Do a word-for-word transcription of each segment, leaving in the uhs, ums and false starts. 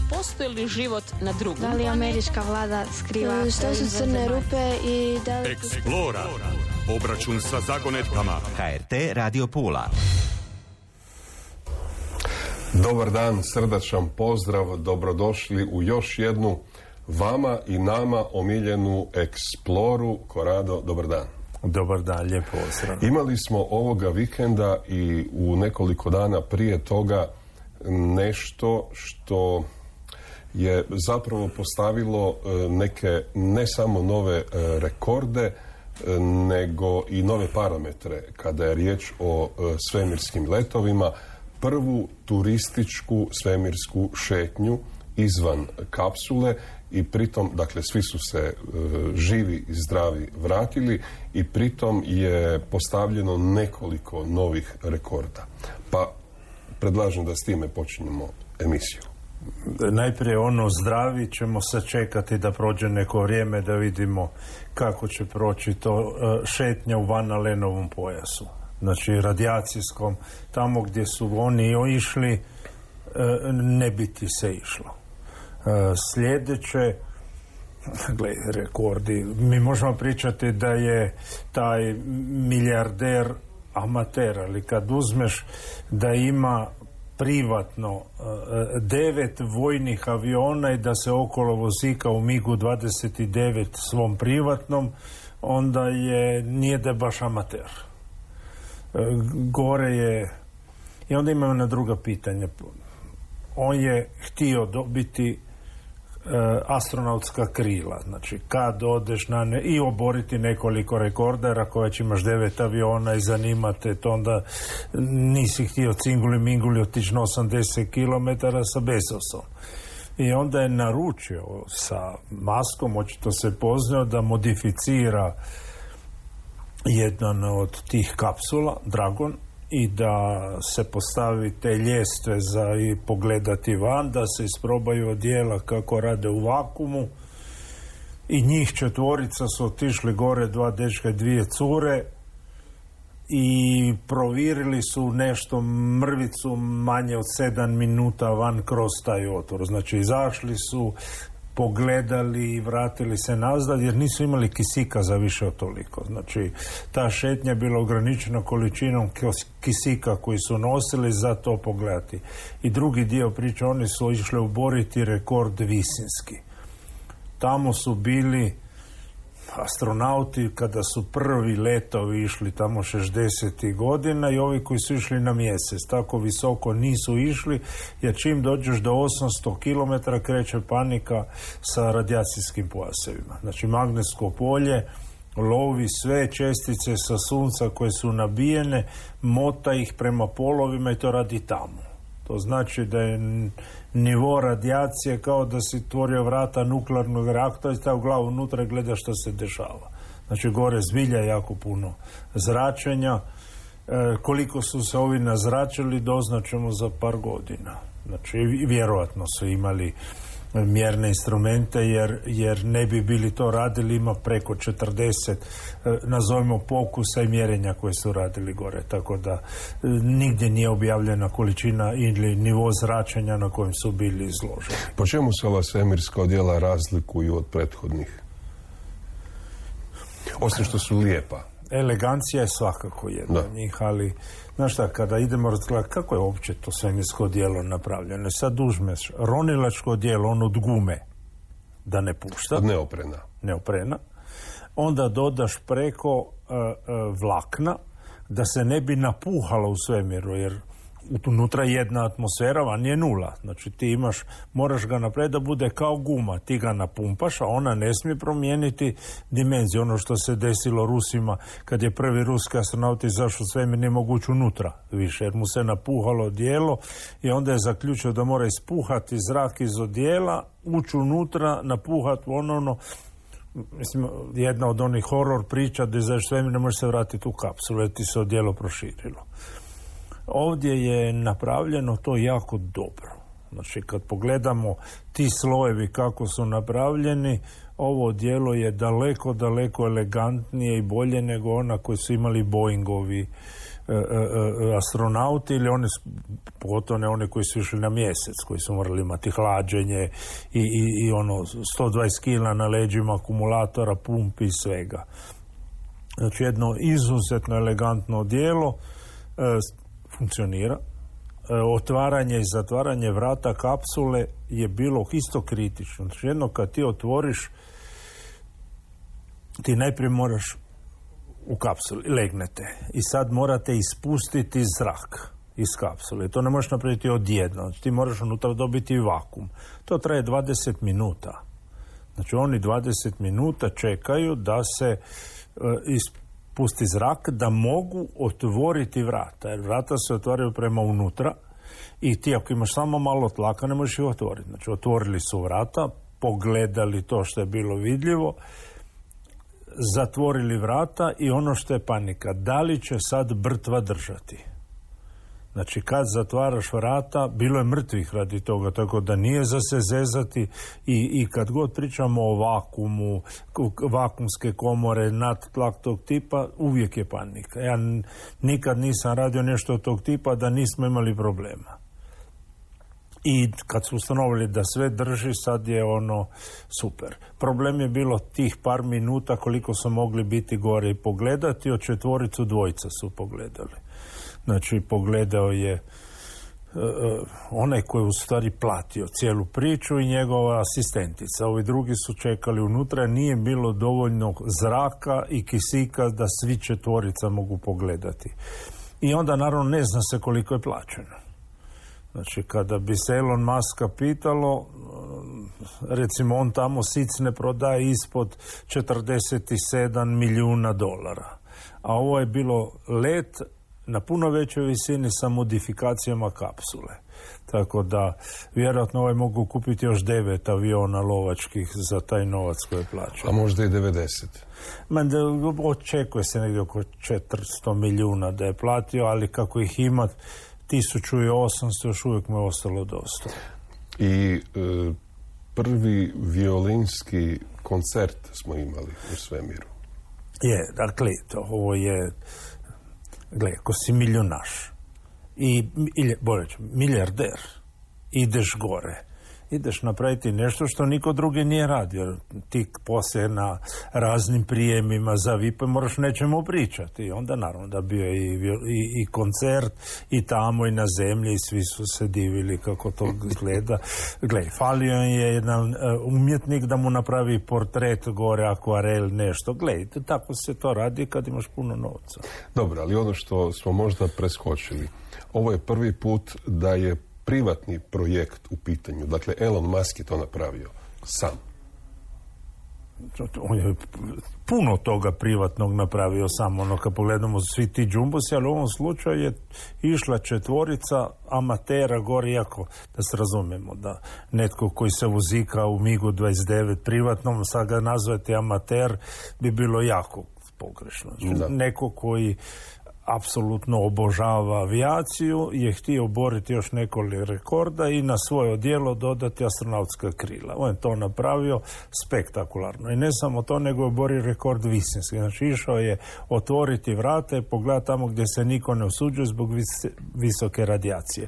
postoji li život na drugom? Da li američka vlada skriva? Što su crne rupe i da li... Eksplora. Obračun sa zagonetkama. H R T Radio Pula. Dobar dan, srdačan pozdrav, dobrodošli u još jednu vama i nama omiljenu Eksploru. Korado, dobar dan. Dobar dan, lijep pozdrav. Imali smo ovoga vikenda i u nekoliko dana prije toga nešto što je zapravo postavilo neke ne samo nove rekorde, nego i nove parametre kada je riječ o svemirskim letovima. Prvu turističku svemirsku šetnju izvan kapsule i pritom, dakle, svi su se e, živi i zdravi vratili i pritom je postavljeno nekoliko novih rekorda. Pa predlažem da s time počinjemo emisiju. Najprije ono zdravi ćemo sačekati da prođe neko vrijeme da vidimo kako će proći to šetnja u Van Alenovom pojasu. Znači radijacijskom, tamo gdje su oni išli, ne bi ti se išlo. Sljedeće, gle, rekordi, mi možemo pričati da je taj milijarder amater, ali kad uzmeš da ima privatno devet vojnih aviona i da se okolo vozika u migu dvadeset devet svom privatnom, onda je, nije da je baš amater. Gore je, i onda imamo na druga pitanja. On je htio dobiti uh, astronautska krila, znači kad odeš na ne, i oboriti nekoliko rekorda, jer ako već imaš devet aviona i zanimate to, onda nisi htio cinguli minguli otići na osamdeset kilometara sa Bezosom. I onda je naručio sa Muskom, očito se poznao, da modificira jedan od tih kapsula, Dragon, i da se postavi te ljestve za i pogledati van, da se isprobaju odjela kako rade u vakuumu. I njih četvorica su otišli gore, dva dečka i dvije cure, i provjerili su nešto mrvicu manje od sedam minuta van kroz taj otvor. Znači izašli su, pogledali i vratili se nazad, jer nisu imali kisika za više od toliko. Znači, ta šetnja je bila ograničena količinom kisika koji su nosili za to pogledati. I drugi dio priče, oni su išli uboriti rekord visinski. Tamo su bili astronauti kada su prvi letovi išli tamo šezdesetih godina i ovi koji su išli na mjesec. Tako visoko nisu išli, jer čim dođeš do osamsto kilometara kreće panika sa radijacijskim pojasevima. Znači magnetsko polje lovi sve čestice sa sunca koje su nabijene, mota ih prema polovima i to radi tamo. To znači da je nivo radijacije kao da si otvorio vrata nuklearnog reaktora i stavio glavu unutra i gleda što se dešava. Znači gore zbilja jako puno zračenja. E, koliko su se ovi nazračili doznačemo za par godina. Znači vjerojatno su imali mjerne instrumente, jer, jer ne bi bili to radili, ima preko četrdeset nazovimo pokusa i mjerenja koje su radili gore, tako da nigdje nije objavljena količina ili nivo zračenja na kojem su bili izloženi. Po čemu se ova svemirska odjela razlikuju od prethodnih? Osim što su lijepa. Elegancija je svakako jedna od njih, ali znaš šta, kada idemo razgledati kako je uopće to svemirsko odijelo napravljeno, sad uzmeš ronilačko odijelo, on od gume, da ne pušta, od neoprena, neoprena, onda dodaš preko uh, uh, vlakna da se ne bi napuhalo u svemiru, jer unutra je jedna atmosfera, van je nula. Znači ti imaš, moraš ga napraviti da bude kao guma. Ti ga napumpaš, a ona ne smije promijeniti dimenziju. Ono što se desilo Rusima kad je prvi ruski astronaut izašao u svemir, nije moguće unutra više, jer mu se napuhalo odijelo i onda je zaključio da mora ispuhati zrak iz odijela, ući unutra, napuhati ponovno. Mislim, jedna od onih horor priča da izaš svemir, ne može se vratiti u kapsulu, jer ti se odijelo proširilo. Ovdje je napravljeno to jako dobro. Znači, kad pogledamo ti slojevi kako su napravljeni, ovo djelo je daleko, daleko elegantnije i bolje nego ona koji su imali Boeingovi e, e, astronauti ili oni, pogotovo ne oni koji su išli na mjesec, koji su morali imati hlađenje i, i, i ono sto dvadeset kila na leđima, akumulatora, pumpi i svega. Znači jedno izuzetno elegantno odijelo, e, funkcionira. E, otvaranje i zatvaranje vrata kapsule je bilo isto kritično. Znači jedno kad ti otvoriš, ti najprije moraš u kapsuli, legnete i sad morate ispustiti zrak iz kapsule. To ne možeš napraviti odjedno. Znači ti moraš unutra dobiti vakum. To traje dvadeset minuta. Znači oni dvadeset minuta čekaju da se e, ispusti zrak, da mogu otvoriti vrata. Jer vrata se otvaraju prema unutra i ti ako imaš samo malo tlaka ne možeš ih otvoriti. Znači otvorili su vrata, pogledali to što je bilo vidljivo, zatvorili vrata i ono što je panika, da li će sad brtva držati? Znači kad zatvaraš vrata, bilo je mrtvih radi toga, tako da nije za se zezati i, i kad god pričamo o vakumu, vakumske komore, nad tlak tog tipa, uvijek je panika. Ja n- nikad nisam radio nešto od tog tipa da nismo imali problema. I kad su ustanovili da sve drži, sad je ono super. Problem je bilo tih par minuta koliko su mogli biti gore i pogledati, od četvoricu dvojica su pogledali. Znači, pogledao je uh, onaj koji je u stvari platio cijelu priču i njegova asistentica. Ovi drugi su čekali unutra, nije bilo dovoljno zraka i kisika da svi četvorica mogu pogledati. I onda, naravno, ne zna se koliko je plaćeno. Znači, kada bi se Elon Muska pitalo, recimo, on tamo sic ne prodaje ispod četrdeset sedam milijuna dolara. A ovo je bilo let na puno većoj visini sa modifikacijama kapsule. Tako da, vjerojatno ovaj mogu kupiti još devet aviona lovačkih za taj novac koji je plaćao. A možda i devedeset. Man, očekuje se negdje oko četiristo milijuna da je platio, ali kako ih ima tisuću osamsto još uvijek mu je ostalo dosta. I e, prvi violinski koncert smo imali u svemiru. Je, dakle, to, ovo je, gle, ako si milionaš i, ili, bolje ću, milijarder, ideš gore, ideš napraviti nešto što niko drugi nije radio. Ti poslije na raznim prijemima za V I P moraš nečemu pričati. I onda naravno da bio i, i, i koncert i tamo i na zemlji i svi su se divili kako to gleda. Gle, falio je jedan umjetnik da mu napravi portret gore, akvarel, nešto. Gle, tako se to radi kad imaš puno novca. Dobro, ali ono što smo možda preskočili, ovo je prvi put da je privatni projekt u pitanju. Dakle, Elon Musk je to napravio sam. On je puno toga privatnog napravio sam. Ono, kad pogledamo svi ti džumbusi, ali u ovom slučaju je išla četvorica amatera gore, iako da se razumijemo da netko koji se vozika u migu dvadeset devet privatnom, sad ga nazvati amater, bi bilo jako pogrešno. Znači, neko koji apsolutno obožava avijaciju, je htio oboriti još nekoliko rekorda i na svoje odijelo dodati astronautska krila. On je to napravio spektakularno. I ne samo to, nego je oborio rekord visinski. Znači, išao je otvoriti vrata i pogledati tamo gdje se niko ne usuđuje zbog vis- visoke radijacije.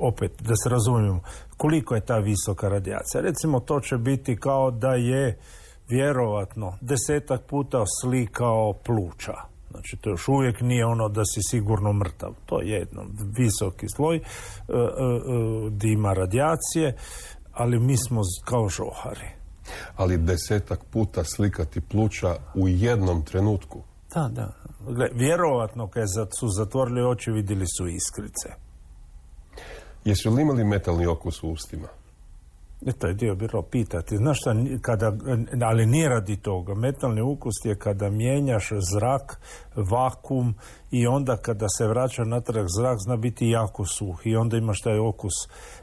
Opet, da se razumijemo, koliko je ta visoka radijacija? Recimo, to će biti kao da je vjerovatno desetak puta slikao pluća. Znači, to još uvijek nije ono da si sigurno mrtav. To je jedno visoki sloj uh, uh, gdje ima radijacije, ali mi smo kao žohari. Ali desetak puta slikati pluća u jednom trenutku. Da, da. Gle, vjerovatno kad su zatvorili oči, vidjeli su iskrice. Jesu li imali metalni okus u ustima? E, to je dio bilo pitati. Znaš šta, kada, ali nije radi toga. Metalni ukus je kada mijenjaš zrak, vakum i onda kada se vraća natrag zrak zna biti jako suh i onda imaš taj okus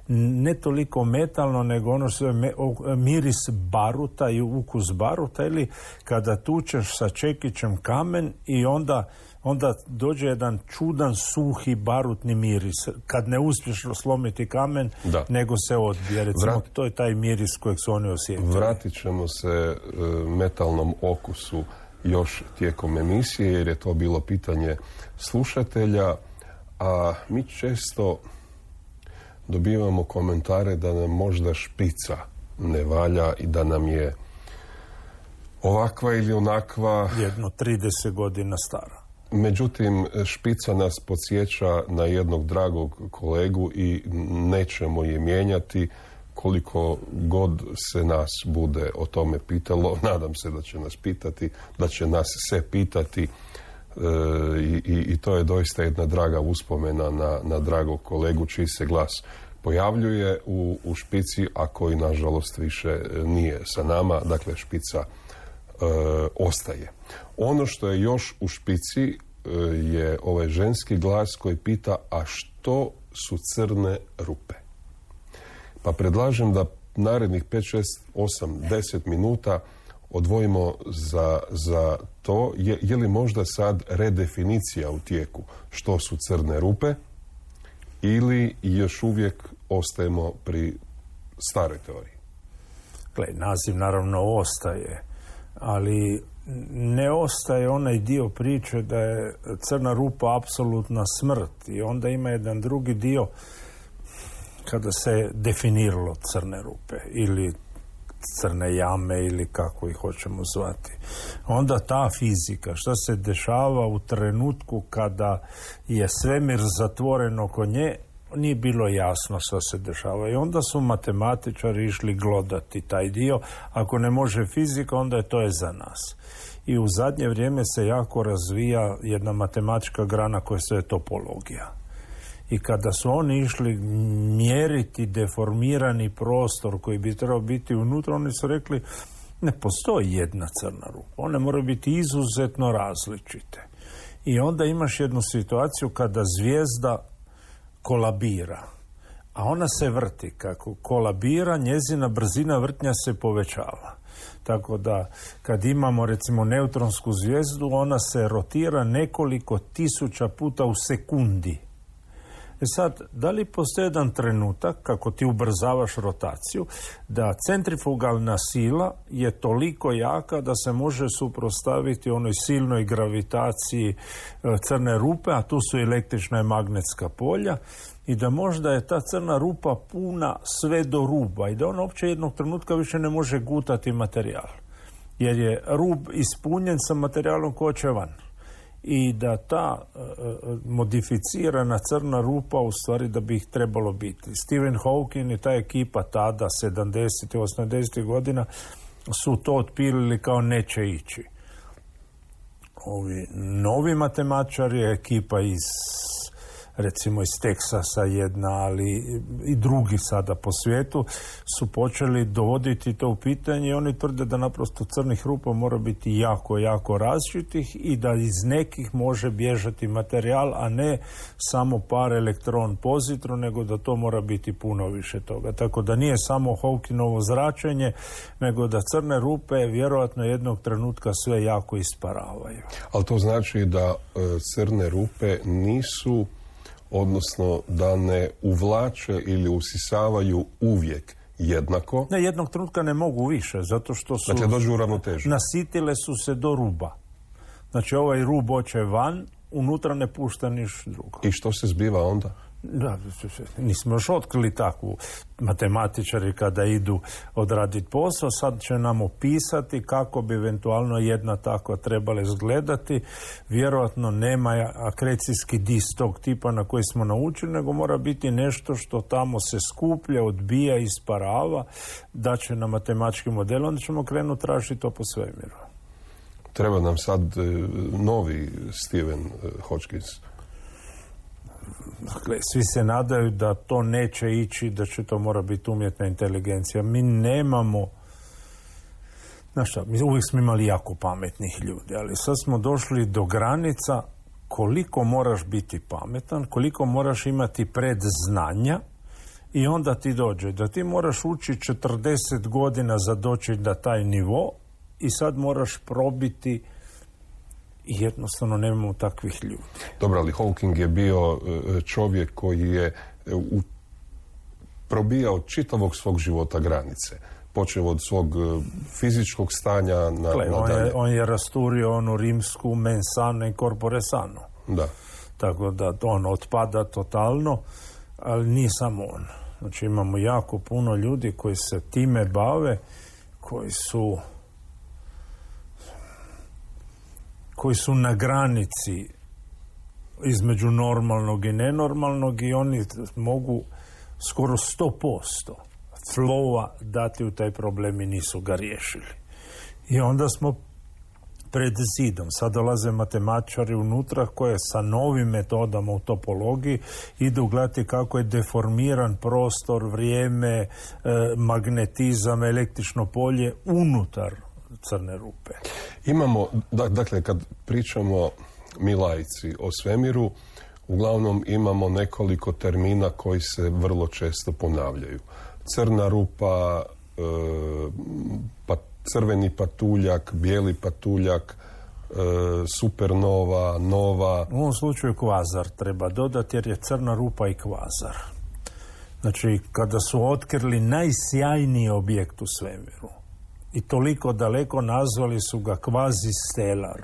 ne toliko metalno nego ono što je me, o, miris baruta i ukus baruta ili kada tučeš sa čekićem kamen i onda onda dođe jedan čudan suhi barutni miris. Kad ne uspješ slomiti kamen, da. Nego se odbije. Recimo, Vrat... to je taj miris kojeg su oni osjetili. Vratit ćemo se uh, metalnom okusu još tijekom emisije, jer je to bilo pitanje slušatelja, a mi često dobivamo komentare da nam možda špica ne valja i da nam je ovakva ili onakva. Jedno trideset godina stara. Međutim, špica nas podsjeća na jednog dragog kolegu i nećemo je mijenjati koliko god se nas bude o tome pitalo. Nadam se da će nas pitati, da će nas se pitati e, i, i to je doista jedna draga uspomena na, na dragog kolegu čiji se glas pojavljuje u, u špici, a koji nažalost više nije sa nama. Dakle, špica e, ostaje. Ono što je još u špici e, je ovaj ženski glas koji pita, a što su crne rupe? Pa predlažem da narednih pet, šest, osam, deset minuta odvojimo za, za to. Je, je li možda sad redefinicija u tijeku što su crne rupe ili još uvijek ostajemo pri staroj teoriji? Gle, naziv naravno ostaje, ali ne ostaje onaj dio priče da je crna rupa apsolutna smrt i onda ima jedan drugi dio kada se definiralo crne rupe ili crne jame ili kako ih hoćemo zvati. Onda ta fizika, što se dešava u trenutku kada je svemir zatvoren oko nje, nije bilo jasno što se dešava. I onda su matematičari išli glodati taj dio. Ako ne može fizika, onda je to je za nas. I u zadnje vrijeme se jako razvija jedna matematička grana koja se je topologija. I kada su oni išli mjeriti deformirani prostor koji bi trebao biti unutra, oni su rekli ne postoji jedna crna rupa. One moraju biti izuzetno različite. I onda imaš jednu situaciju kada zvijezda kolabira, a ona se vrti. Kako kolabira, njezina brzina vrtnja se povećava. Tako da kad imamo recimo neutronsku zvijezdu, ona se rotira nekoliko tisuća puta u sekundi. E sad, da li postoji jedan trenutak, kako ti ubrzavaš rotaciju, da centrifugalna sila je toliko jaka da se može suprotstaviti onoj silnoj gravitaciji crne rupe, a tu su električna i magnetska polja, i da možda je ta crna rupa puna sve do ruba i da ona uopće jednog trenutka više ne može gutati materijal. Jer je rub ispunjen sa materijalom ko će van. I da ta uh, modificirana crna rupa u stvari da bi ih trebalo biti. Stephen Hawking i ta ekipa tada, sedamdesetih, osamdesetih godina, su to otpilili kao neće ići. Ovi novi matematičari, ekipa iz recimo iz Teksasa jedna, ali i drugi sada po svijetu, su počeli dovoditi to u pitanje i oni tvrde da naprosto crnih rupa mora biti jako, jako različitih i da iz nekih može bježati materijal, a ne samo par elektron pozitron, nego da to mora biti puno više toga. Tako da nije samo Hawkingovo zračenje, nego da crne rupe vjerojatno jednog trenutka sve jako isparavaju. Ali to znači da e, crne rupe nisu, odnosno da ne uvlače ili usisavaju uvijek jednako. Ne, jednog trenutka ne mogu više, zato što su... Dakle, dođu u ravnotežu. Nasitile su se do ruba. Znači, ovaj rub hoće van, unutra ne pušta niš drugo. I što se zbiva onda? Da, nismo još otkrili takvu. Matematičari kada idu odraditi posao, sad će nam opisati kako bi eventualno jedna takva trebala izgledati. Vjerojatno nema akrecijski disk tog tipa na koji smo naučili, nego mora biti nešto što tamo se skuplja, odbija, isparava, da će na matematički model, onda ćemo krenuti tražiti to po svemiru. Treba nam sad novi Stephen Hawking. Dakle, svi se nadaju da to neće ići, da će to mora biti umjetna inteligencija. Mi nemamo, znaš šta, mi uvijek smo imali jako pametnih ljudi, ali sad smo došli do granica koliko moraš biti pametan, koliko moraš imati predznanja i onda ti dođe da ti moraš učiti četrdeset godina za doći na taj nivo i sad moraš probiti i jednostavno nemamo takvih ljudi. Dobro, ali Hawking je bio čovjek koji je u, probijao čitavog svog života granice. počeo od svog fizičkog stanja na, Gle, na on, dalje. je, on je rasturio onu rimsku mens sana in corpore sano. Da. Tako da on otpada totalno, ali nije samo on. Znači imamo jako puno ljudi koji se time bave, koji su koji su na granici između normalnog i nenormalnog i oni mogu skoro sto posto flowa dati u taj problem i nisu ga riješili. I onda smo pred zidom. Sad dolaze matematičari unutra koje sa novim metodama u topologiji idu gledati kako je deformiran prostor, vrijeme, e, magnetizam, električno polje unutar crne rupe. Imamo, dakle, kad pričamo mi laici o svemiru, uglavnom imamo nekoliko termina koji se vrlo često ponavljaju. Crna rupa, e, pa crveni patuljak, bijeli patuljak, e, supernova, nova. U ovom slučaju kvazar treba dodati jer je crna rupa i kvazar. Znači, kada su otkrili najsjajniji objekt u svemiru i toliko daleko nazvali su ga kvazistelar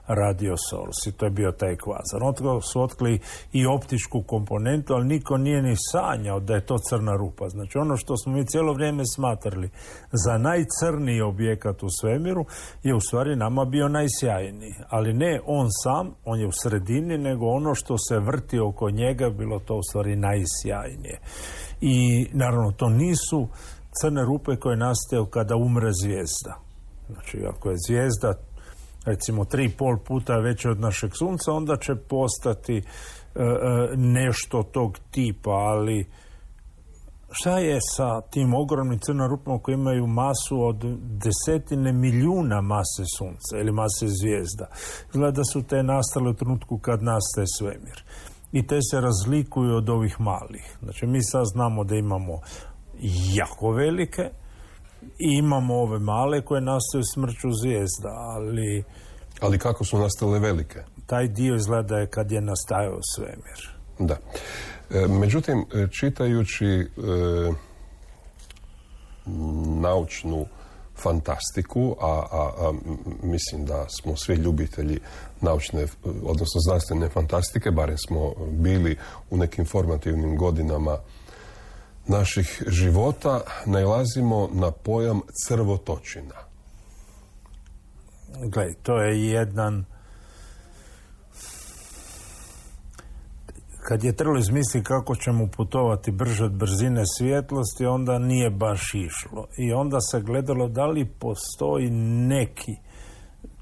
radio source i to je bio taj kvazar. Onda su otkrili i optičku komponentu, ali niko nije ni sanjao da je to crna rupa. Znači ono što smo mi cijelo vrijeme smatrali za najcrniji objekat u svemiru je u stvari nama bio najsjajniji. Ali ne on sam, on je u sredini, nego ono što se vrti oko njega bilo to u stvari najsjajnije. I naravno to nisu crne rupe koje nastaju kada umre zvijezda. Znači ako je zvijezda recimo tri i pol puta veće od našeg sunca, onda će postati e, nešto tog tipa, ali šta je sa tim ogromnim crnim rupama koji imaju masu od desetine milijuna mase sunca ili mase zvijezda? Izgleda da su te nastale u trenutku kad nastaje svemir. I te se razlikuju od ovih malih. Znači mi sad znamo da imamo jako velike i imamo ove male koje nastaju smrću zvijezda, ali... Ali kako su nastale velike? Taj dio izgleda je kad je nastajao svemir. Da. E, međutim, čitajući e, naučnu fantastiku, a, a, a mislim da smo svi ljubitelji naučne, odnosno znanstvene fantastike, barem smo bili u nekim formativnim godinama naših života, nailazimo na pojam crvotočina. Gledaj, to je jedan... Kad je trebalo izmisliti kako ćemo putovati brže od brzine svjetlosti, onda nije baš išlo. I onda se gledalo da li postoji neki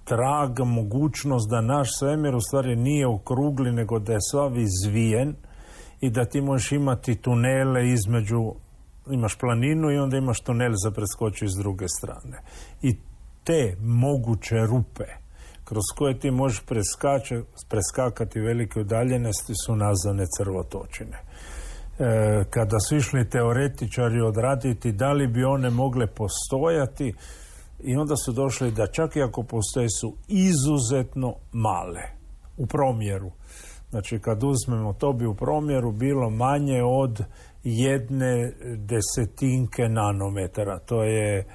trag, mogućnost da naš svemir u stvari nije okrugli, nego da je sav izvijen i da ti možeš imati tunele između, imaš planinu i onda imaš tunel za preskočiti s druge strane. I te moguće rupe kroz koje ti možeš preskače, preskakati velike udaljenosti su nazvane crvotočine. E, kada su išli teoretičari odraditi da li bi one mogle postojati, i onda su došli da čak i ako postoje su izuzetno male u promjeru. Znači kad uzmemo, to bi u promjeru bilo manje od jedne desetinke nanometara. To je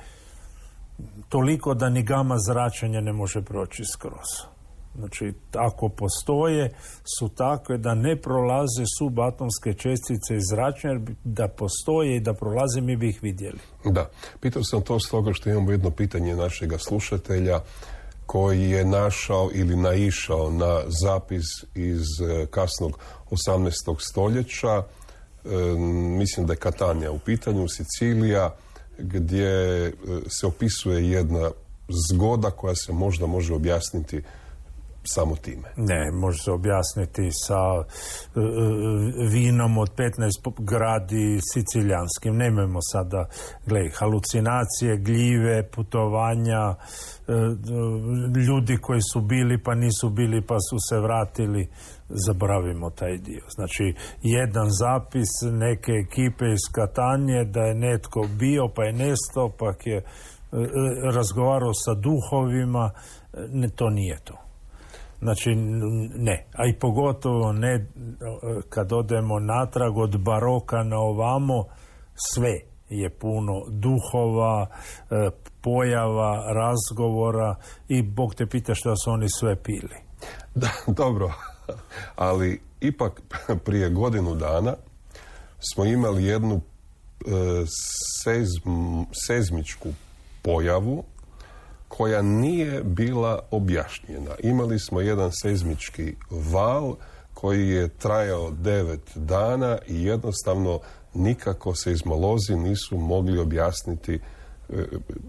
toliko da ni gama zračenja ne može proći skroz. Znači, ako postoje, su takve da ne prolaze subatomske čestice iz zračenja, jer da postoje i da prolaze, mi bi ih vidjeli. Da. Pitao sam to stoga što imamo jedno pitanje našega slušatelja koji je našao ili naišao na zapis iz kasnog osamnaestog stoljeća. E, mislim da je Katanija u pitanju, Sicilija, gdje se opisuje jedna zgoda koja se možda može objasniti samo time. Ne, može se objasniti sa uh, vinom od petnaest gradi siciljanskim. Nemojmo sada, gledaj, halucinacije, gljive, putovanja, uh, ljudi koji su bili pa nisu bili pa su se vratili. Zaboravimo taj dio. Znači, jedan zapis neke ekipe iz Katanje da je netko bio pa je nestao pa je uh, razgovarao sa duhovima, ne, to nije to. Znači, ne. A i pogotovo ne kad odemo natrag od baroka na ovamo, sve je puno duhova, pojava, razgovora i Bog te pita što su oni sve pili. Da, dobro, ali ipak prije godinu dana smo imali jednu e, sezm, sezmičku pojavu koja nije bila objašnjena. Imali smo jedan sezmički val koji je trajao devet dana i jednostavno nikako seizmolozi nisu mogli objasniti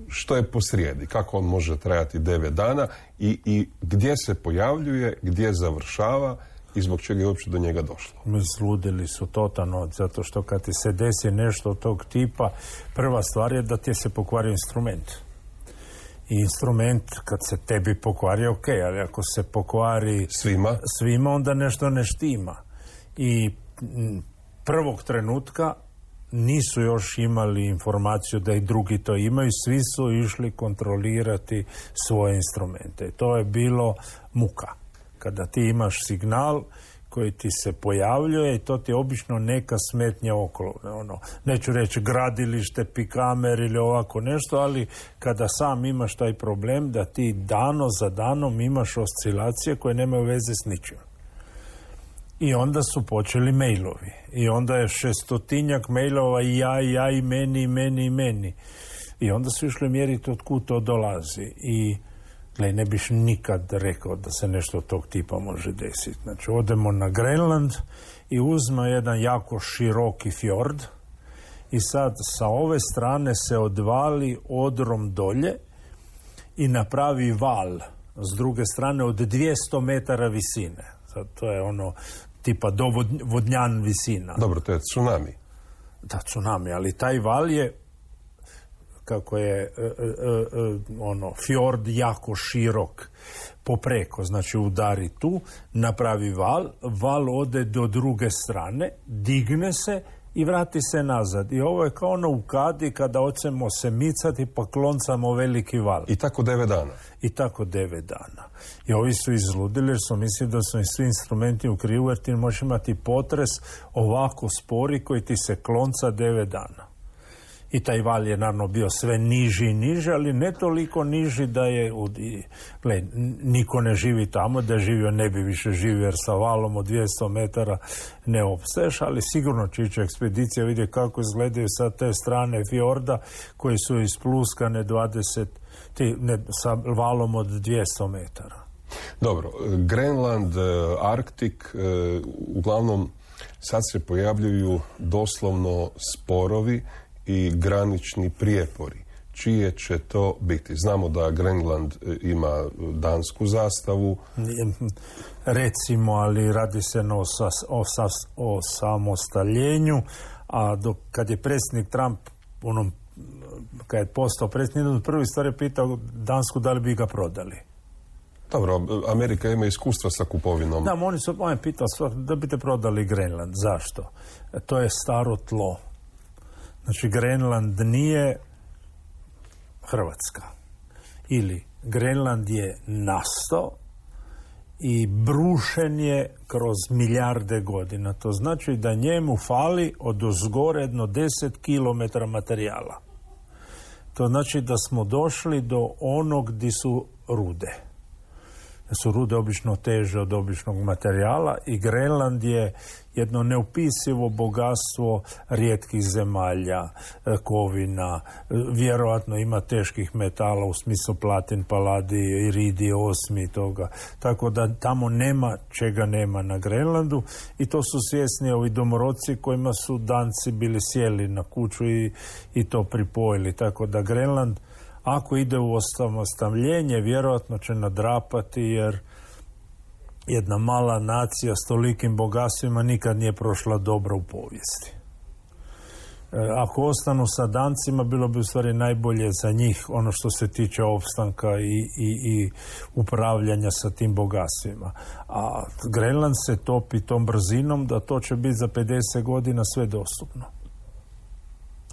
što je posrijedi, kako on može trajati devet dana i, i gdje se pojavljuje, gdje završava i zbog čega je uopće do njega došlo. Sludili su totalno, zato što kad ti se desi nešto od tog tipa, prva stvar je da ti se pokvari instrument. I instrument, kad se tebi pokvari, ok, ali ako se pokvari svima, svima onda nešto ne štima. I m, prvog trenutka nisu još imali informaciju da i drugi to imaju, svi su išli kontrolirati svoje instrumente. To je bilo muka. Kada ti imaš signal koji ti se pojavljuje i to ti je obično neka smetnja okolo. Ono, neću reći gradilište, pikamer ili ovako nešto, ali kada sam imaš taj problem da ti dano za danom imaš oscilacije koje nemaju veze s ničim. I onda su počeli mailovi. I onda je šestotinjak mailova i ja, i ja, i meni, i meni, i meni. I onda su išli mjeriti od kud to dolazi. I gle, ne biš nikad rekao da se nešto od tog tipa može desiti. Znači, odemo na Grenland i uzme jedan jako široki fjord i sad sa ove strane se odvali odrom dolje i napravi val s druge strane od dvjesto metara visine. Sad, to je ono tipa dovodnjan visina. Dobro, to je tsunami. Da, tsunami, ali taj val je kako je e, e, e, ono fjord jako širok popreko, znači udari tu, napravi val, val ode do druge strane, digne se i vrati se nazad. I ovo je kao ono u kadi kada hoćemo se micati pa kloncamo veliki val. I tako devet dana. I tako devet dana. I ovi su izludili jer su mislili da su im svi instrumenti u krivu jer ti možeš imati potres ovako spori koji ti se klonca devet dana. I taj val je naravno bio sve niži i niži, ali ne toliko niži da je, gle, niko ne živi tamo, da je živio ne bi više živio jer sa valom od dvjesto metara ne opstaješ, ali sigurno će ići ekspedicija vidjeti kako izgledaju sa te strane fjorda koji su ispluskane dvadeset, ti, ne, sa valom od dvjesto metara. Dobro, Grenland, Arktik, uglavnom sad se pojavljuju doslovno sporovi i granični prijepori. Čije će to biti? Znamo da Grenland ima dansku zastavu. Recimo, ali radi se o, sas, o, sas, o samostaljenju, a dok, kad je predsjednik Trump onom, kad je postao predsjednik, od prvi stvar je pitao Dansku da li bi ga prodali. Dobro, Amerika ima iskustva sa kupovinom. Da, oni su, on je pitao da biste prodali Grenland. Zašto? To je staro tlo. Znači, Grenland nije Hrvatska. Ili Grenland je nastao i brušen je kroz milijarde godina. To znači da njemu fali od ozgore jedno deset kilometara materijala. To znači da smo došli do onog gdje su rude. Su rude obično teže od običnog materijala i Grenland je jedno neopisivo bogatstvo rijetkih zemalja, kovina, vjerojatno ima teških metala u smislu platin, paladij, iridij, osmi toga. Tako da tamo nema čega nema na Grenlandu i to su svjesni ovi domorodci kojima su Danci bili sjeli na kuću i, i to pripojili. Tako da Grenland, ako ide u osamostaljenje, vjerojatno će nadrapati jer jedna mala nacija s tolikim bogatstvima nikad nije prošla dobro u povijesti. E, ako ostanu sa Dancima, bilo bi u stvari najbolje za njih ono što se tiče opstanka i, i, i upravljanja sa tim bogatstvima. A Grenland se topi tom brzinom da to će biti za pedeset godina sve dostupno.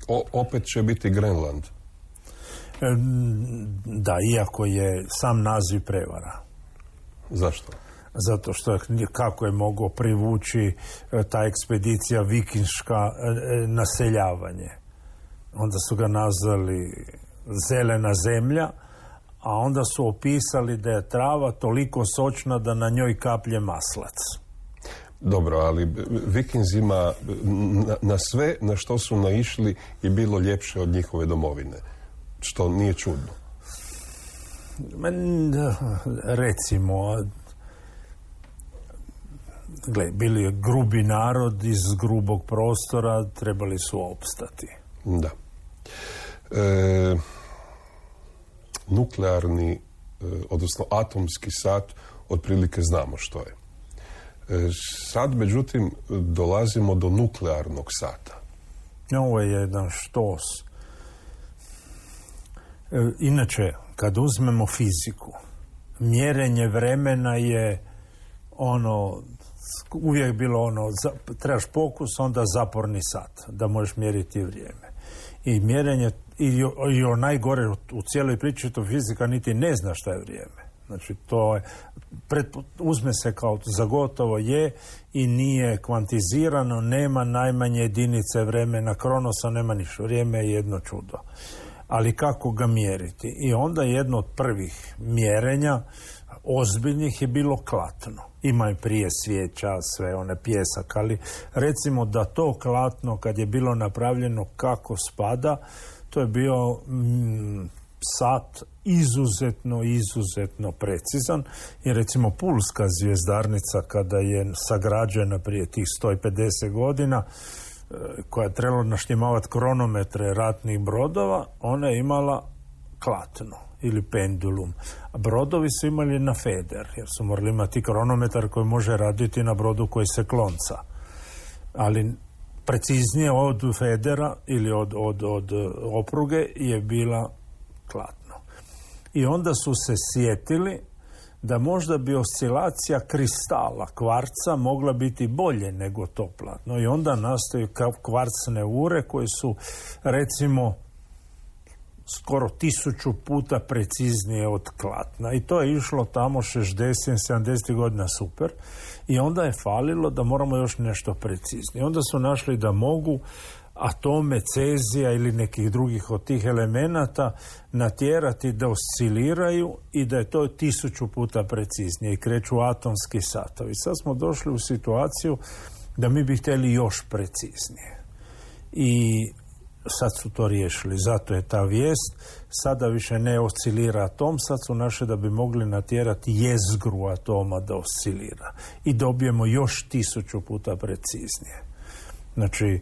O, opet će biti Grenland. Da, iako je sam naziv prevara. Zašto? Zato što je, kako je mogao privući ta ekspedicija vikinška naseljavanje. Onda su ga nazvali zelena zemlja, a onda su opisali da je trava toliko sočna da na njoj kaplje maslac. Dobro, ali Vikinzima na, na sve na što su naišli je bilo ljepše od njihove domovine, što nije čudno. Recimo, gle, bili je grubi narod iz grubog prostora, trebali su opstati. Da. E, nuklearni, e, odnosno atomski sat, otprilike znamo što je. E, sad, međutim, dolazimo do nuklearnog sata. Ovo je jedan štos. E, inače, kad uzmemo fiziku, mjerenje vremena je ono, uvijek bilo ono, za, trebaš pokus, onda zaporni sat, da možeš mjeriti vrijeme. I mjerenje, i, i o najgore u, u cijeloj priči, to fizika niti ne zna šta je vrijeme. Znači, to je, pred, uzme se kao za gotovo je i nije kvantizirano, nema najmanje jedinice vremena, kronosa, nema ništa. Vrijeme je jedno čudo. Ali kako ga mjeriti? I onda jedno od prvih mjerenja ozbiljnih je bilo klatno. Ima i prije svijeća, sve one pjesak, ali recimo da to klatno kad je bilo napravljeno kako spada, to je bio mm, sat izuzetno, izuzetno precizan. I recimo Pulska zvjezdarnica kada je sagrađena prije tih sto pedeset godina, koja je trebala naštimavati kronometre ratnih brodova, ona je imala klatno ili pendulum. A brodovi su imali na feder, jer su morali imati kronometar koji može raditi na brodu koji se klonca. Ali preciznije od federa ili od, od, od opruge je bila klatno. I onda su se sjetili da možda bi oscilacija kristala, kvarca, mogla biti bolje nego to platno. I onda nastaju kvarcne ure koje su, recimo, skoro tisuću puta preciznije od klatna. I to je išlo tamo šezdeset sedamdeset godina super. I onda je falilo da moramo još nešto preciznije. Onda su našli da mogu atome cezija ili nekih drugih od tih elemenata natjerati da osciliraju i da je to tisuću puta preciznije i kreću atomski satovi. Sad smo došli u situaciju da mi bi htjeli još preciznije. I sad su to riješili. Zato je ta vijest. Sada više ne oscilira atom, sad su našli da bi mogli natjerati jezgru atoma da oscilira. I dobijemo još tisuću puta preciznije. Znači, e,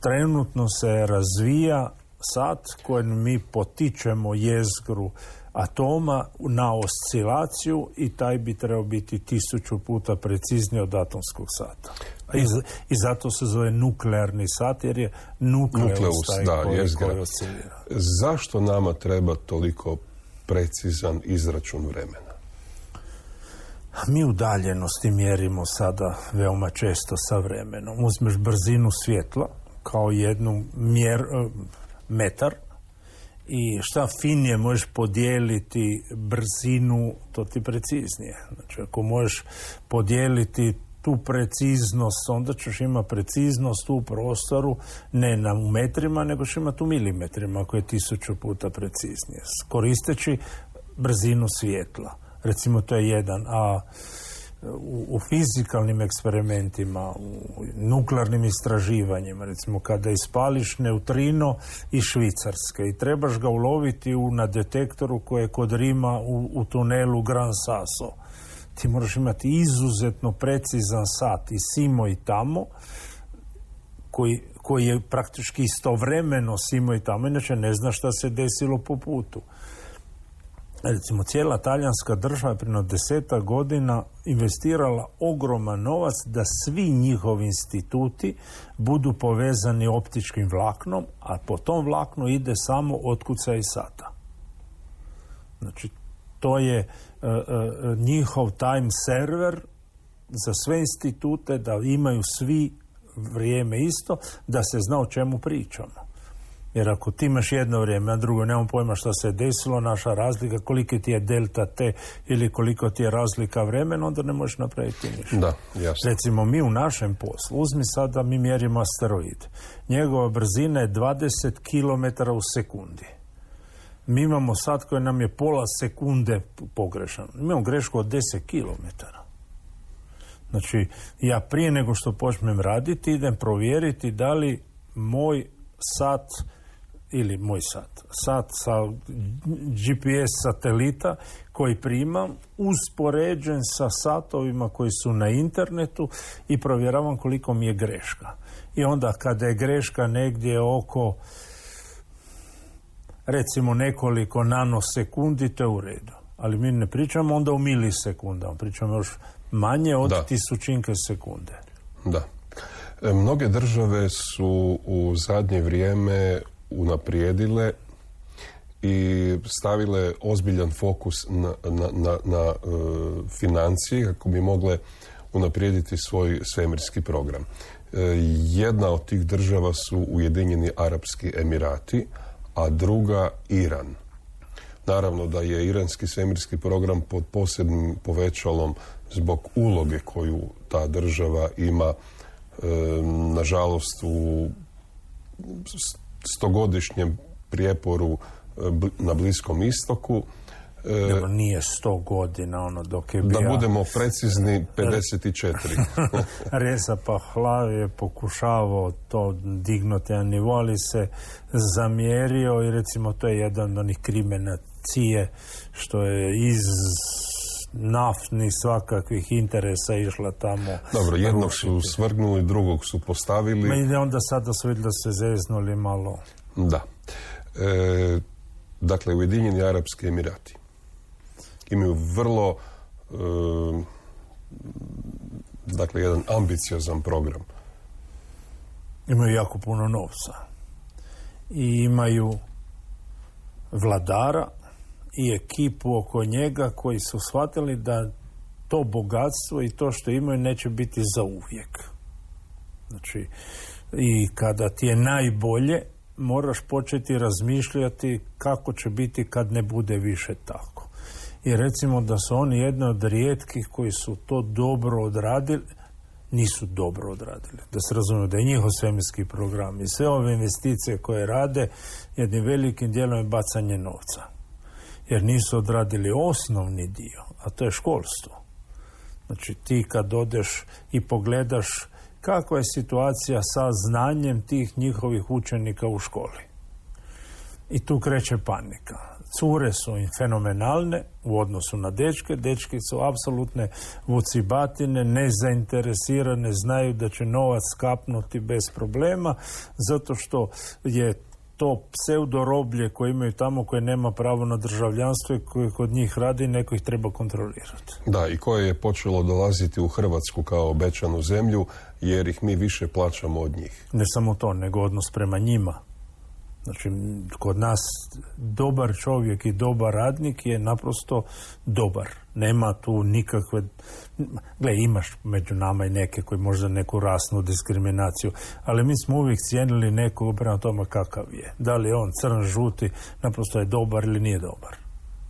trenutno se razvija sat kojim mi potičemo jezgru atoma na oscilaciju i taj bi trebao biti tisuću puta precizniji od atomskog sata. I, i zato se zove nuklearni sat, jer je nukleus, nukleus taj da, koji, koji oscilira. Zašto nama treba toliko precizan izračun vremena? Mi udaljenosti mjerimo sada veoma često sa vremenom. Uzmeš brzinu svjetla kao jednu mjer, metar i šta finije možeš podijeliti brzinu, to ti preciznije. Znači, ako možeš podijeliti tu preciznost, onda ćeš imati preciznost u prostoru ne na metrima, nego ćeš imati u milimetrima, ako je tisuću puta preciznije. Koristeći brzinu svjetla. Recimo, to je jedan, a u, u fizikalnim eksperimentima, u nuklearnim istraživanjima, recimo kada ispališ neutrino iz Švicarske i trebaš ga uloviti u, na detektoru koji je kod Rima u, u tunelu Gran Sasso, ti moraš imati izuzetno precizan sat i simo i tamo, koji, koji je praktički istovremeno simo i tamo, inače ne zna šta se desilo po putu. Recimo, cijela talijanska država je prije desetak godina investirala ogroman novac da svi njihovi instituti budu povezani optičkim vlaknom, a po tom vlaknu ide samo otkucaj sata. Znači, to je uh, uh, njihov time server za sve institute, da imaju svi vrijeme isto, da se zna o čemu pričamo. Jer ako ti imaš jedno vrijeme, a drugo nemam pojma šta se je desilo, naša razlika, koliko ti je delta T ili koliko ti je razlika vremena, onda ne možeš napraviti ništa. Da, jasno. Recimo, mi u našem poslu, uzmi sada, mi mjerimo asteroid. Njegova brzina je dvadeset kilometara u sekundi. Mi imamo sad koji nam je pola sekunde pogrešan. Mi imamo grešku od deset kilometara. Znači, ja prije nego što počnem raditi, idem provjeriti da li moj sat ili moj sat, sat sa G P S satelita koji primam, uspoređen sa satovima koji su na internetu i provjeravam koliko mi je greška. I onda kada je greška negdje oko recimo nekoliko nanosekundi, to je u redu. Ali mi ne pričamo onda u milisekundama, pričamo još manje od da. tisućinke sekunde. Da. E, mnoge države su u zadnje vrijeme unaprijedile i stavile ozbiljan fokus na, na, na, na uh, financije kako bi mogle unaprijediti svoj svemirski program. E, jedna od tih država su Ujedinjeni Arapski Emirati, a druga Iran. Naravno da je iranski svemirski program pod posebnim povećalom zbog uloge koju ta država ima, e, nažalost, u stogodišnjem prijeporu e, na Bliskom istoku. E, Dobro, nije sto godina ono dok je bio... Da budemo precizni, pedeset četiri. Reza Pahlavi je pokušavao to dignuti na nivo, ali se zamjerio i recimo to je jedan od onih krimena C I E što je iz naftnih svakakvih interesa išla tamo. Dobro, jednog su svrgnuli, drugog su postavili. I onda sada su vidjeli da se zeznuli malo. Da. E, dakle, Ujedinjeni Arapski Emirati imaju vrlo e, dakle, jedan ambiciozan program. Imaju jako puno novca. I imaju vladara i ekipu oko njega koji su shvatili da to bogatstvo i to što imaju neće biti za uvijek. Znači, i kada ti je najbolje, moraš početi razmišljati kako će biti kad ne bude više tako. I recimo da su oni jedni od rijetkih koji su to dobro odradili, nisu dobro odradili. Da se razumije da je njihov svemirski program i sve ove investicije koje rade jednim velikim dijelom je bacanje novca. Jer nisu odradili osnovni dio, a to je školstvo. Znači ti kad odeš i pogledaš kakva je situacija sa znanjem tih njihovih učenika u školi. I tu kreće panika. Cure su im fenomenalne u odnosu na dečke. Dečki su apsolutne vucibatine, nezainteresirane, znaju da će novac skapnuti bez problema, zato što je to pseudoroblje koje imaju tamo, koje nema pravo na državljanstvo i koje kod njih radi, neko ih treba kontrolirati. Da, i koje je počelo dolaziti u Hrvatsku kao obećanu zemlju, jer ih mi više plaćamo od njih. Ne samo to, nego odnos prema njima. Znači, kod nas dobar čovjek i dobar radnik je naprosto dobar. Nema tu nikakve... Gle, imaš među nama i neke koji možda neku rasnu diskriminaciju, ali mi smo uvijek cijenili nekog prema tome kakav je. Da li je on crn, žuti, naprosto je dobar ili nije dobar.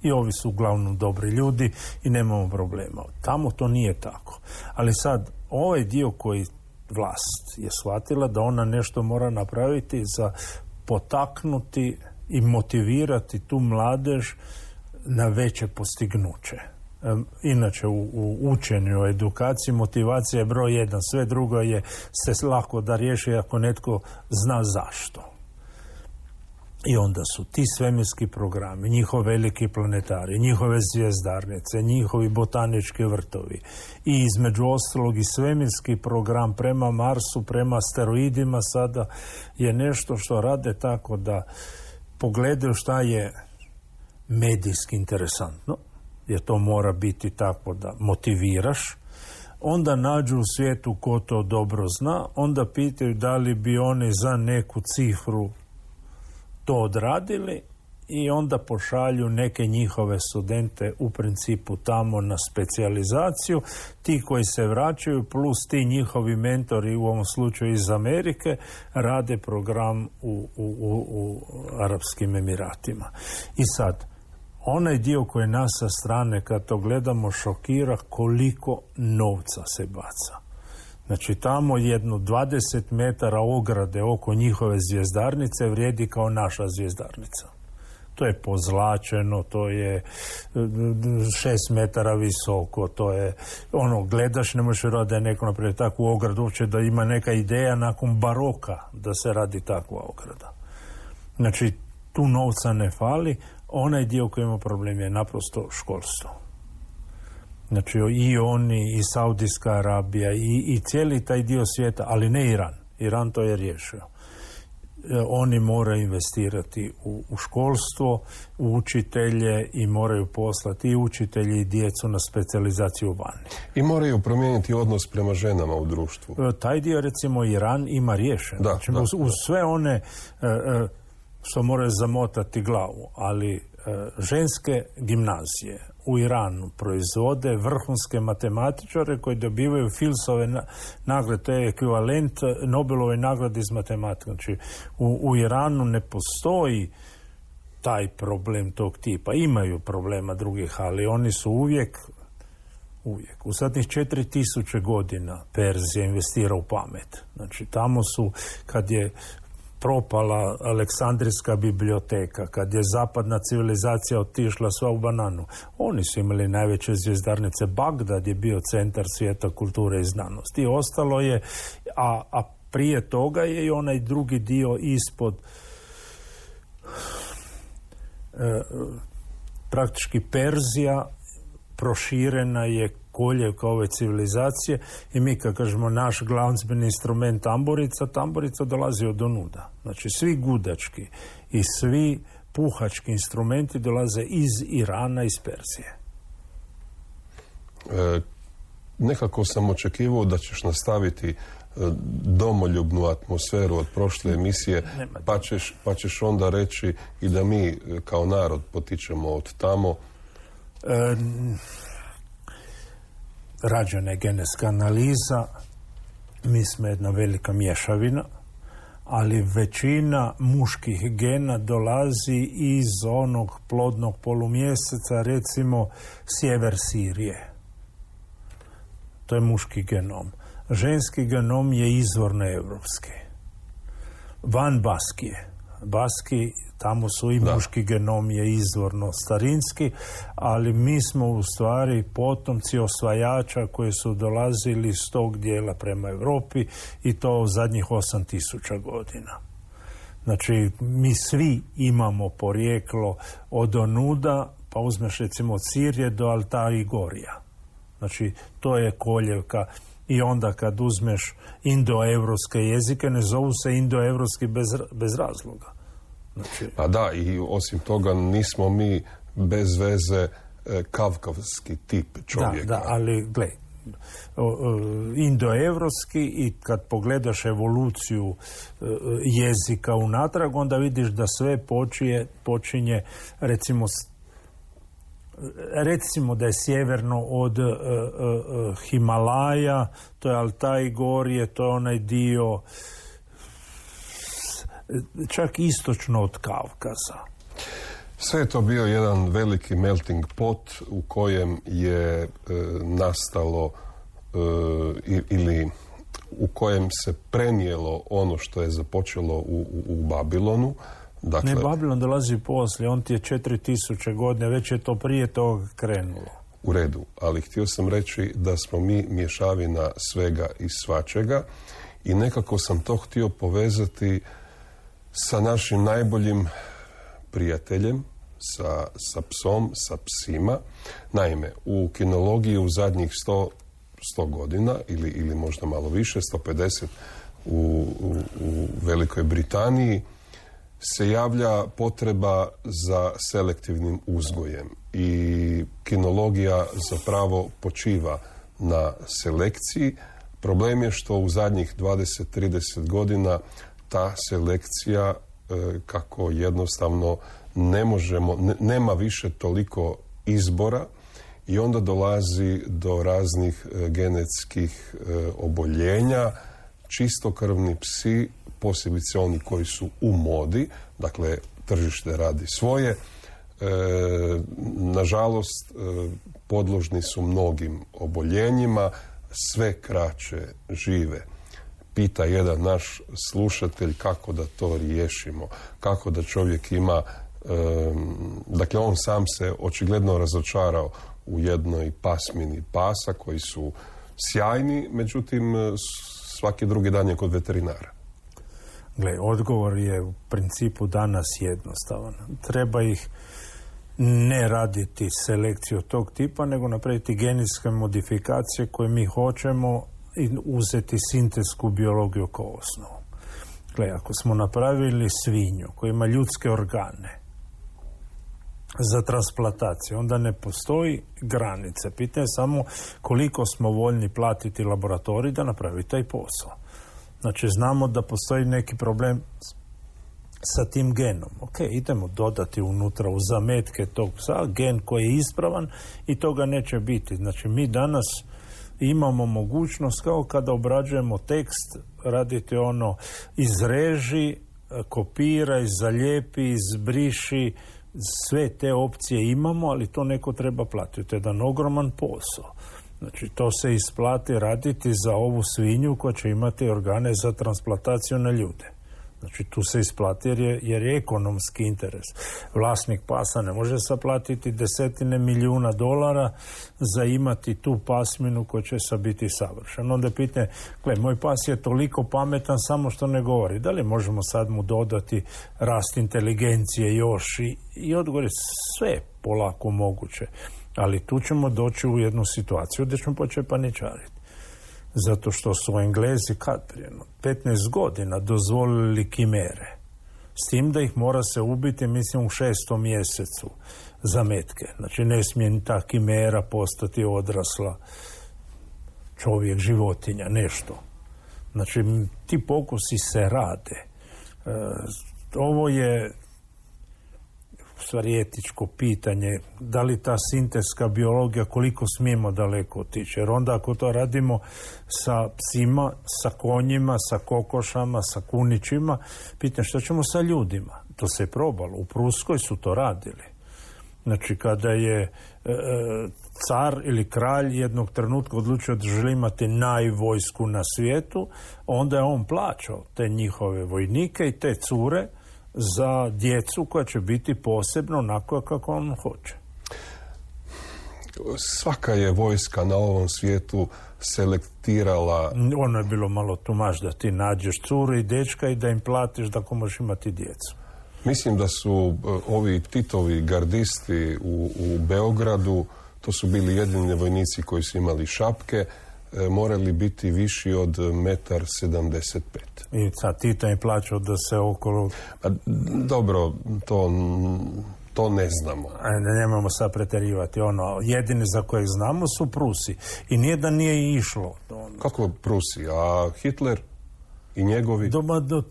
I ovi su uglavnom dobri ljudi i nemamo problema. Tamo to nije tako. Ali sad, ovaj dio koji vlast je shvatila da ona nešto mora napraviti za potaknuti i motivirati tu mladež na veće postignuće. Inače u, u učenju, u edukaciji motivacija je broj jedan, sve drugo je se lako da riješi ako netko zna zašto. I onda su ti svemirski programi, njihovi veliki planetari, njihove zvijezdarnice, njihovi botanički vrtovi i između ostalog i svemirski program prema Marsu, prema asteroidima sada je nešto što rade tako da pogledaju šta je medijski interesantno, jer to mora biti tako da motiviraš, onda nađu u svijetu ko to dobro zna, onda pitaju da li bi oni za neku cifru to odradili i onda pošalju neke njihove studente u principu tamo na specijalizaciju. Ti koji se vraćaju plus ti njihovi mentori, u ovom slučaju iz Amerike, rade program u, u, u, u Arapskim Emiratima. I sad, onaj dio koji nas sa strane kad to gledamo šokira koliko novca se baca. Znači tamo jedno dvadeset metara ograde oko njihove zvjezdarnice vrijedi kao naša zvjezdarnica. To je pozlačeno, to je šest metara visoko, to je ono, gledaš, ne možeš raditi da je neko napraviti takvu ogradu, uopće da ima neka ideja nakon baroka da se radi takva ograda. Znači tu novca ne fali, onaj dio koji ima problem je naprosto školstvo. Znači i oni, i Saudijska Arabija, i, i cijeli taj dio svijeta, ali ne Iran. Iran to je riješio. E, oni moraju investirati u, u školstvo, u učitelje i moraju poslati i učitelji i djecu na specijalizaciju vani. I moraju promijeniti odnos prema ženama u društvu. E, taj dio, recimo, Iran ima riješen. Da, znači, da, uz, uz da. sve one e, e, što moraju zamotati glavu, ali e, ženske gimnazije u Iranu proizvode vrhunske matematičare koji dobivaju Filsove nagrade, to je ekvivalent Nobelove nagrade iz matematike. Znači, u, u Iranu ne postoji taj problem tog tipa. Imaju problema drugih, ali oni su uvijek, uvijek. U zadnjih četiri tisuće godina Perzija investira u pamet. Znači, tamo su, kad je propala Aleksandrijska biblioteka, kad je zapadna civilizacija otišla sva u bananu, oni su imali najveće zvjezdarnice. Bagdad je bio centar svijeta kulture i znanosti. I ostalo je, a, a prije toga je i onaj drugi dio ispod e, praktički Perzija proširena je koljevka ove civilizacije i mi kad kažemo naš glazbeni instrument tamburica, tamburica dolazi od onuda. Znači svi gudački i svi puhački instrumenti dolaze iz Irana, iz Perzije. E, nekako sam očekivao da ćeš nastaviti domoljubnu atmosferu od prošle emisije, pa ćeš, pa ćeš onda reći i da mi kao narod potičemo od tamo. E, rađena je genetska analiza, mi smo jedna velika mješavina, ali većina muških gena dolazi iz onog plodnog polumjeseca, recimo sjever Sirije. To je muški genom. Ženski genom je izvorno evropski. Van Baskije. Baski, tamo su i da. Muški genom je izvorno starinski, ali mi smo u stvari potomci osvajača koji su dolazili s tog dijela prema Europi i to u zadnjih osam tisuća godina. Znači, mi svi imamo porijeklo od onuda, pa uzmeš recimo od Sirije do Altaji Gorija. Znači, to je koljevka. I onda kad uzmeš indoevropske jezike, ne zovu se indoevropski bez, bez razloga. Znači... Pa da, i osim toga nismo mi bez veze e, kavkavski tip čovjeka. Da, da, ali gle, indoevropski, i kad pogledaš evoluciju e, jezika unatrag, onda vidiš da sve počinje, počinje recimo recimo da je sjeverno od uh, uh, Himalaja, to je Altaj Gorije, to je onaj dio čak istočno od Kavkaza. Sve je to bio jedan veliki melting pot u kojem je e, nastalo e, ili u kojem se prenijelo ono što je započelo u, u, u Babilonu. Dakle, ne, Babilon dolazi poslije, on ti je četiri tisuće godine, već je to prije toga krenulo. U redu, ali htio sam reći da smo mi mješavina svega i svačega i nekako sam to htio povezati sa našim najboljim prijateljem, sa, sa psom, sa psima. Naime, u kinologiji u zadnjih sto, sto godina ili, ili možda malo više, sto pedeset u, u, u Velikoj Britaniji, se javlja potreba za selektivnim uzgojem i kinologija zapravo počiva na selekciji. Problem je što u zadnjih dvadeset do trideset godina ta selekcija kako jednostavno ne možemo, ne, nema više toliko izbora i onda dolazi do raznih genetskih oboljenja. Čistokrvni psi, posebice oni koji su u modi, dakle tržište radi svoje, e, nažalost e, podložni su mnogim oboljenjima, sve kraće žive. Pita jedan naš slušatelj kako da to riješimo, kako da čovjek ima, e, dakle on sam se očigledno razočarao u jednoj pasmini pasa koji su sjajni, međutim svaki drugi dan je kod veterinara. Gle, odgovor je u principu danas jednostavan. Treba ih ne raditi selekciju tog tipa, nego napraviti genetske modifikacije koje mi hoćemo i uzeti sintetsku biologiju kao osnovu. Gle, ako smo napravili svinju koja ima ljudske organe za transplantaciju, onda ne postoji granice. Pitanje je samo koliko smo voljni platiti laboratorij da napravi taj posao. Znači, znamo da postoji neki problem sa tim genom. Ok, idemo dodati unutra u zametke tog psa gen koji je ispravan i toga neće biti. Znači, mi danas imamo mogućnost kao kada obrađujemo tekst, raditi ono izreži, kopiraj, zalijepi, izbriši, sve te opcije imamo, ali to neko treba platiti. To je jedan ogroman posao. Znači, to se isplati raditi za ovu svinju koja će imati organe za transplantaciju na ljude. Znači, tu se isplati jer je, jer je ekonomski interes. Vlasnik pasa ne može saplatiti desetine milijuna dolara za imati tu pasminu koja će sa biti savršena. Onda pitanje, gle, moj pas je toliko pametan samo što ne govori. Da li možemo sad mu dodati rast inteligencije još? I, i odgovor je sve polako moguće. Ali tu ćemo doći u jednu situaciju gdje ćemo početi paničariti. Zato što su Englezi kad prije petnaest godina dozvolili kimere. S tim da ih mora se ubiti, mislim, u šestom mjesecu zametke. Znači, ne smije ta kimera postati odrasla čovjek, životinja, nešto. Znači, ti pokusi se rade. E, ovo je u stvari etičko pitanje, da li ta sintetska biologija, koliko smijemo daleko otići. Jer onda ako to radimo sa psima, sa konjima, sa kokošama, sa kunićima, pitanje što ćemo sa ljudima. To se je probalo. U Pruskoj su to radili. Znači, kada je e, car ili kralj jednog trenutka odlučio da želi imati najvojsku na svijetu, onda je on plaćao te njihove vojnike i te cure za djecu koja će biti posebno onako kako on hoće. Svaka je vojska na ovom svijetu selektirala... Ono je bilo malo tumaž da ti nađeš curu i dečka i da im platiš da ko možeš imati djecu. Mislim da su ovi Titovi gardisti u, u Beogradu, to su bili jedini vojnici koji su imali šapke, morali biti viši od metar sedamdeset pet. I sad Tito je plaćao da se okolo... A, dobro, to, to ne znamo. Ne, nemamo sad preterivati. Ono, jedini za kojeg znamo su Prusi. I nijedan nije išlo. Ono. Kako Prusi? A Hitler i njegovi? Doma, do,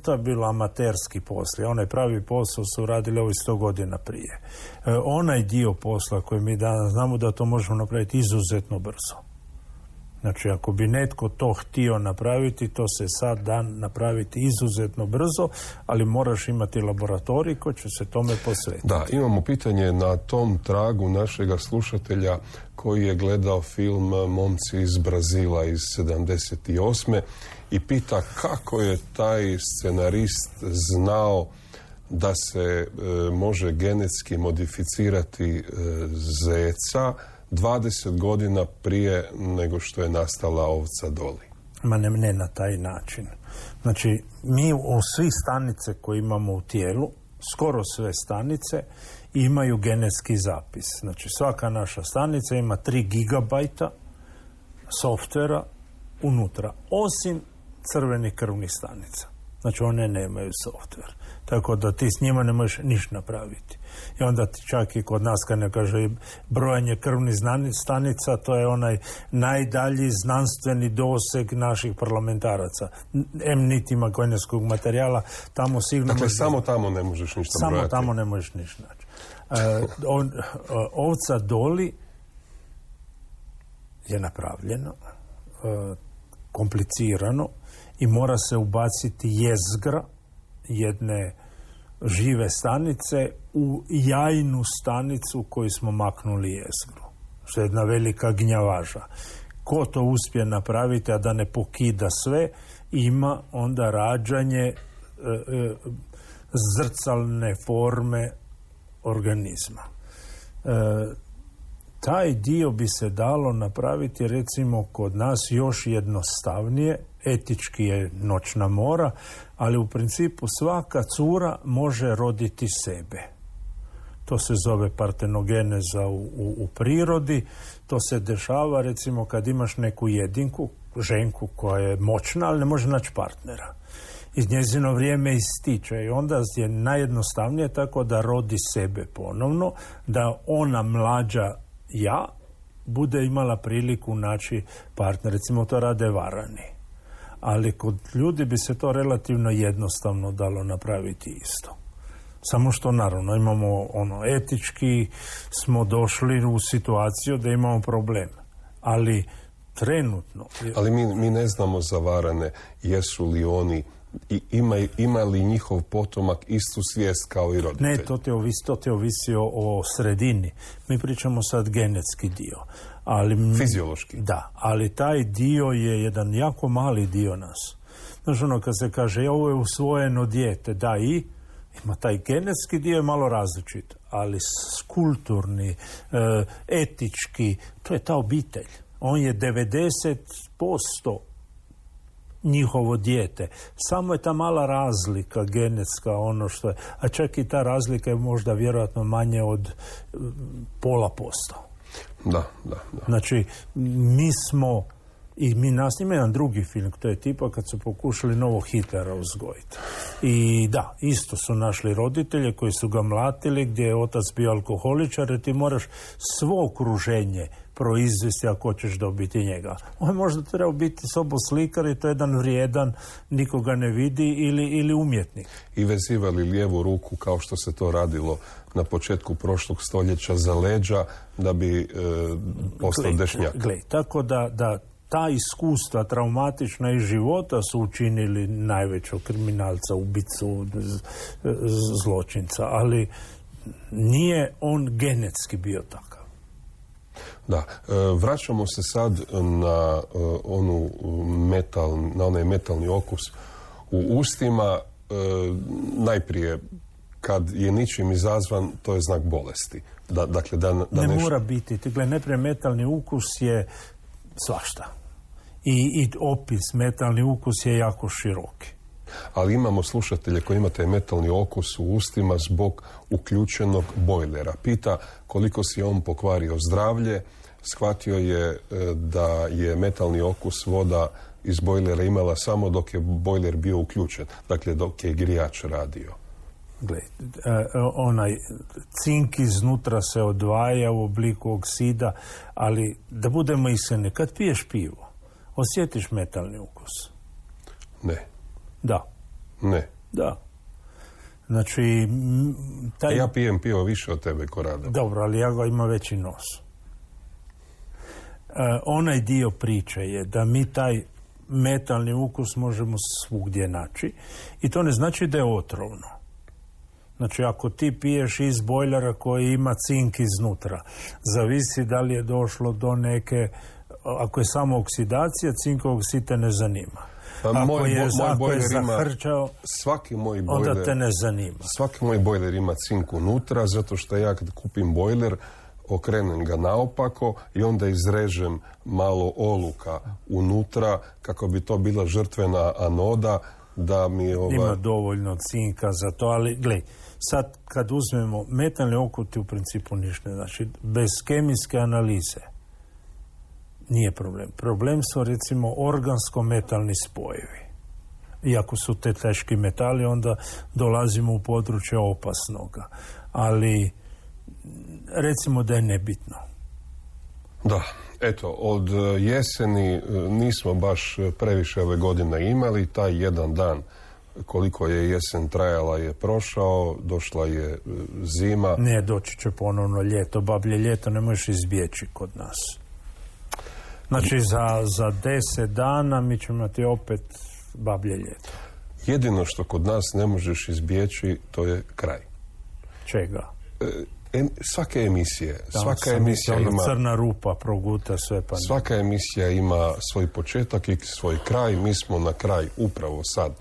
to je bilo amaterski posao. Onaj pravi posao su radili ovi sto godina prije. E, onaj dio posla koji mi danas znamo da to možemo napraviti izuzetno brzo. Znači, ako bi netko to htio napraviti, to se sad dan napraviti izuzetno brzo, ali moraš imati laboratorij koji će se tome posvetiti. Da, imamo pitanje na tom tragu našega slušatelja koji je gledao film Momci iz Brazila iz sedamdeset osme i pita kako je taj scenarist znao da se e, može genetski modificirati e, zeca dvadeset godina prije nego što je nastala ovca Doli. Ma ne, ne na taj način. Znači, mi u svi stanice koje imamo u tijelu, skoro sve stanice, imaju genetski zapis. Znači, svaka naša stanica ima tri gigabajta softvera unutra, osim crvenih krvnih stanica. Znači one nemaju softver. Tako da ti s njima ne možeš ništa napraviti. I onda ti čak i kod nas kad ne kaže brojanje krvnih stanica, to je onaj najdalji znanstveni doseg naših parlamentaraca. Em niti ima genetskog materijala, tamo sigurno... Dakle, možeš... samo tamo ne možeš ništa samo brojati. Samo tamo ne možeš ništa naći. Uh, on, uh, ovca Doli je napravljeno, uh, komplicirano i mora se ubaciti jezgra jedne žive stanice u jajnu stanicu koju smo maknuli jezgru. Što je jedna velika gnjavaža. Ko to uspije napraviti, a da ne pokida sve, ima onda rađanje e, e, zrcalne forme organizma. E, taj dio bi se dalo napraviti recimo kod nas još jednostavnije, etički je noćna mora, ali u principu svaka cura može roditi sebe. To se zove partenogeneza u, u, u prirodi. To se dešava recimo kad imaš neku jedinku, ženku koja je moćna, ali ne može naći partnera. I njezino vrijeme ističe i onda je najjednostavnije tako da rodi sebe ponovno, da ona mlađa ja bude imala priliku naći partner. Recimo to rade varani. Ali kod ljudi bi se to relativno jednostavno dalo napraviti isto. Samo što naravno imamo ono etički smo došli u situaciju da imamo problem. Ali trenutno... Ali mi, mi ne znamo za varane jesu li oni i ima, ima li njihov potomak istu svijest kao i roditelj? Ne, to te ovisi, to te ovisi o, o sredini. Mi pričamo sad genetski dio. Ali, fiziološki. Da, ali taj dio je jedan jako mali dio nas. Znaš ono kad se kaže ovo je usvojeno dijete, da i ima taj genetski dio je malo različit, ali kulturni, e, etički, to je ta obitelj. On je devedeset posto njihovo dijete. Samo je ta mala razlika genetska, ono što je, a čak i ta razlika je možda vjerojatno manje od e, pola posto. Da, da, da. Znači, mi smo, i mi nas ima jedan drugi film, to je tipa kad su pokušali novog Hitlera uzgojiti. I da, isto su našli roditelje koji su ga mlatili, gdje je otac bio alkoholičar, jer ti moraš svo okruženje proizvesti ako hoćeš dobiti njega. On je možda trebao biti soboslikar i to je jedan vrijedan, nikoga ne vidi, ili, ili umjetnik. I vezivali lijevu ruku kao što se to radilo na početku prošlog stoljeća za leđa da bi e, postao Glej, dešnjak. Glej, tako da, da ta iskustva traumatična iz života su učinili najvećog kriminalca, ubicu, z, z, zločinca, ali nije on genetski bio takav. Da, e, vraćamo se sad na e, onu metal, na onaj metalni okus u ustima. E, najprije kad je ničim izazvan, to je znak bolesti. Da, dakle, da, da ne nešto... mora biti. Dakle, najprije metalni ukus je svašta. I, i opis metalni ukus je jako široki. Ali imamo slušatelje koji imate metalni okus u ustima zbog uključenog bojlera. Pita koliko si on pokvario zdravlje, shvatio je da je metalni okus voda iz bojlera imala samo dok je bojler bio uključen, dakle dok je grijač radio. Gled, onaj cink iznutra se odvaja u obliku oksida, ali da budemo iskreni, kad piješ pivo, osjetiš metalni ukus? Ne. Da. Ne. Da. Znači, taj... Ja pijem pivo više od tebe, Korado. Dobro, ali ja ga imam veći nos. E, onaj dio priče je da mi taj metalni ukus možemo svugdje naći i to ne znači da je otrovno. Znači, ako ti piješ iz bojlera koji ima cink iznutra, zavisi da li je došlo do neke, ako je samo oksidacija, cinkovog oksid te ne zanima. Ako moj, je, moj ako bojler je zahrčao, svaki moj bojler, onda te ne zanima. Svaki moj bojler ima cink unutra, zato što ja kad kupim bojler, okrenem ga naopako i onda izrežem malo oluka unutra kako bi to bila žrtvena anoda da mi ova... Ima dovoljno cinka za to, ali glej, sad kad uzmemo metalni okuti u principu ništa, znači bez kemijske analize nije problem. Problem su recimo organsko-metalni spojevi. iako su te teški metali, onda dolazimo u područje opasnoga. Ali recimo da je nebitno. Da, eto, od jeseni nismo baš previše ove godine imali. Taj jedan dan koliko je jesen trajala je prošao, došla je zima. Ne, doći će ponovno ljeto. Bablje ljeto ne možeš izbjeći kod nas. Znači za, za deset dana mi ćemo imati opet bablje ljeto. Jedino što kod nas ne možeš izbjeći, to je kraj. Čega? E, svake emisije. Da, svaka emisija ono ima... crna rupa proguta sve pa... Svaka emisija ima svoj početak i svoj kraj. Mi smo na kraj upravo sad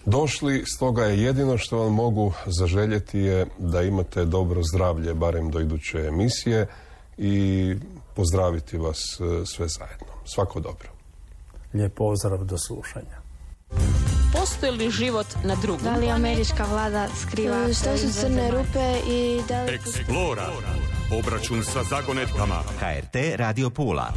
došli, stoga je jedino što vam mogu zaželjeti je da imate dobro zdravlje, barem do iduće emisije, i pozdraviti vas sve zajedno. Svako dobro. Lijep pozdrav, do slušanja. Postoji li život na drugom? Da li američka vlada skriva Što su crne rupe i da li... Explora. Obračun sa zagonetkama. H R T Radio Pula.